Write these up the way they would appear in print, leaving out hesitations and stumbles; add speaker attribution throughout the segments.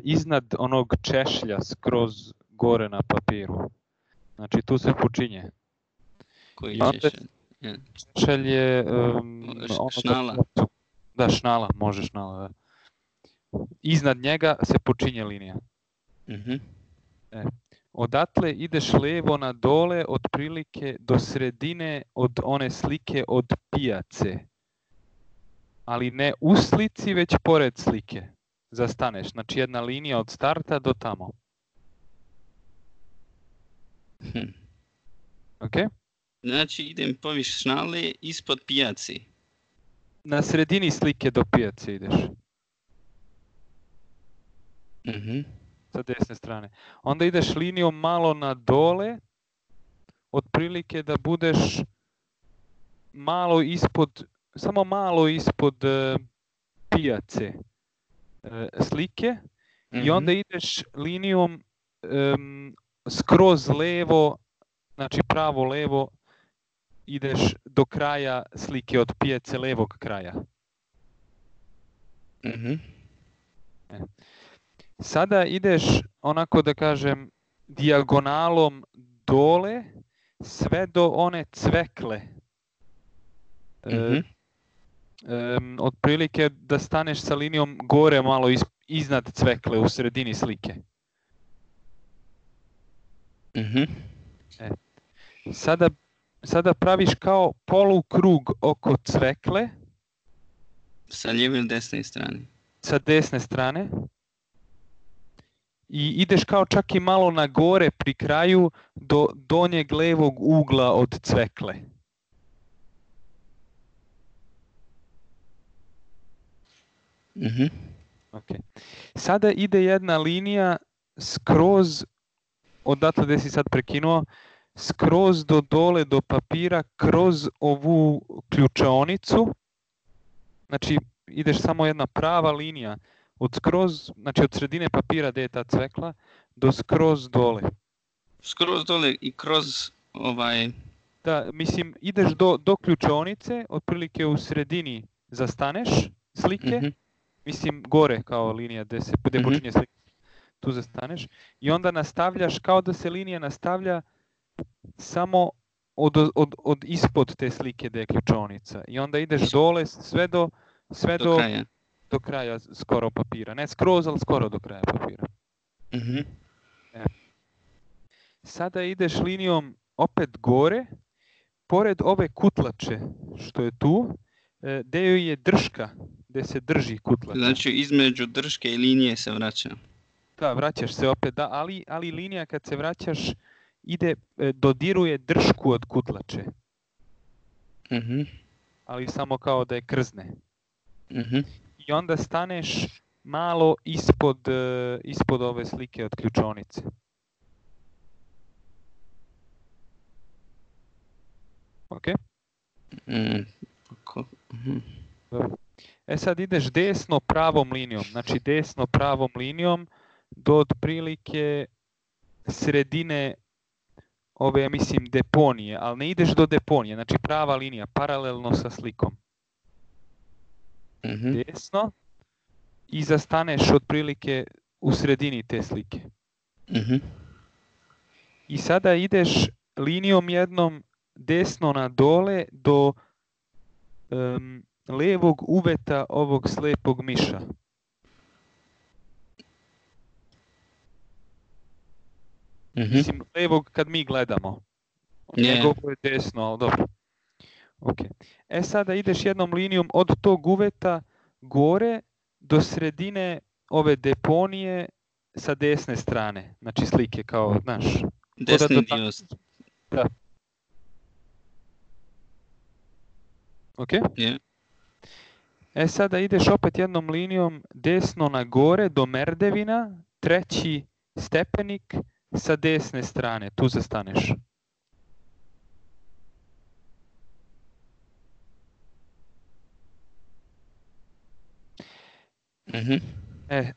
Speaker 1: iznad onog češlja skroz gore na papiru. Znači tu se počinje.
Speaker 2: Koji
Speaker 1: češelj? Češelj je...
Speaker 2: šnala.
Speaker 1: Da, šnala, može šnala, da. Iznad njega se počinje linija. Odatle ideš levo na dole, otprilike do sredine od one slike od pijace. Ali ne u slici, već pored slike. Zastaneš. Znači jedna linija od starta do tamo. Ok?
Speaker 2: Znači idem poviš šnale ispod pijace.
Speaker 1: Na sredini slike do pijace ideš. Sa desne strane. Onda ideš linijom malo na dole, otprilike da budeš malo ispod, samo malo ispod pijace slike i onda ideš linijom skroz levo, znači pravo levo, ideš do kraja slike od pijace levog kraja. Sada ideš, onako da kažem, dijagonalom dole, sve do one cvekle. Otprilike da staneš sa linijom gore malo iznad cvekle u sredini slike. Sada praviš kao polukrug oko cvekle.
Speaker 2: Sa lijeve ili desne strane?
Speaker 1: Sa desne strane. I ideš kao čak i malo na gore pri kraju do donjeg levog ugla od cvekle. Okay. Sada ide jedna linija skroz, odatle gdje si sad prekinuo, skroz do dole do papira kroz ovu ključaonicu. Znači ideš samo jedna prava linija. Znači od sredine papira gdje je ta cvekla do skroz dole.
Speaker 2: Skroz dole i kroz
Speaker 1: Da, mislim, ideš do ključaonice, otprilike u sredini zastaneš slike, mislim gore kao linija gdje počinje slike, tu zastaneš i onda nastavljaš kao da se linija nastavlja samo od ispod te slike gdje je ključaonica i onda ideš dole sve do kraja. Do kraja skoro papira. Ne skroz, ali skoro do kraja papira. Sada ideš linijom opet gore, pored ove kutlače što je tu, gdje joj je drška, gdje se drži kutlača.
Speaker 2: Znači između drške i linije se vraća.
Speaker 1: Da, vraćaš se opet, da, ali linija kad se vraćaš dodiruje dršku od kutlače. Ali samo kao da je krzne. I onda staneš malo ispod ove slike od ključaonice. Ok? Sad ideš desno pravom linijom. Znači desno pravom linijom do otprilike sredine ove, ja mislim, deponije. Ali ne ideš do deponije. Znači prava linija, paralelno sa slikom. Desno i zastaneš otprilike u sredini te slike. I sada ideš linijom jednom desno na dole do levog uveta ovog slepog miša. Mislim, levog kad mi gledamo. Njegovo je desno, ali dobro. Okay. Sada ideš jednom linijom od tog uveta gore do sredine ove deponije sa desne strane. Znači slike kao, znaš.
Speaker 2: Desni dio.
Speaker 1: Da. Ok?
Speaker 2: Yeah.
Speaker 1: Sada ideš opet jednom linijom desno na gore do merdevina, treći stepenik sa desne strane. Tu zastaneš.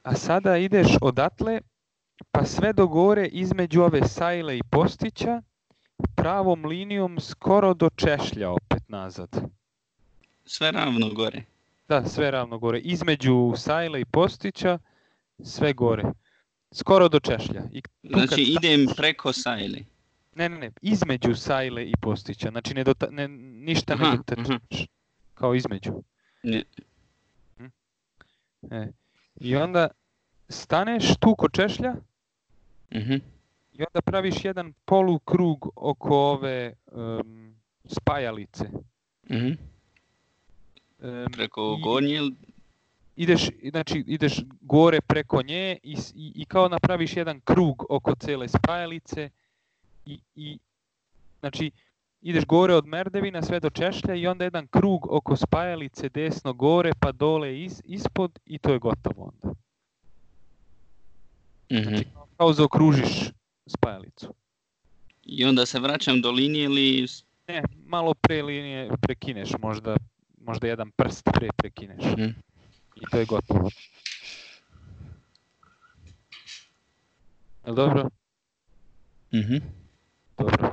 Speaker 1: A sada ideš odatle pa sve do gore između ove sajle i postića pravom linijom skoro do češlja opet nazad.
Speaker 2: Sve ravno gore.
Speaker 1: Da, sve ravno gore. Između sajle i postića sve gore. Skoro do češlja. I tu kad
Speaker 2: Znači idem preko sajle.
Speaker 1: Ne, između sajle i postića. Znači ništa ne dotačeš. Kao između.
Speaker 2: Ne.
Speaker 1: I onda staneš tu kod češlja i onda praviš jedan polukrug oko ove spajalice.
Speaker 2: Preko gornje?
Speaker 1: Ideš gore preko nje i kao napraviš jedan krug oko cijele spajalice i znači ideš gore od merdevina sve do češlja i onda jedan krug oko spajalice desno gore pa dole ispod i to je gotovo onda. Znači kao zaokružiš spajalicu.
Speaker 2: I onda se vraćam do linije ili...
Speaker 1: Ne, malo pre linije prekineš, možda jedan prst pre prekineš. I to je gotovo. Jel dobro? Dobro.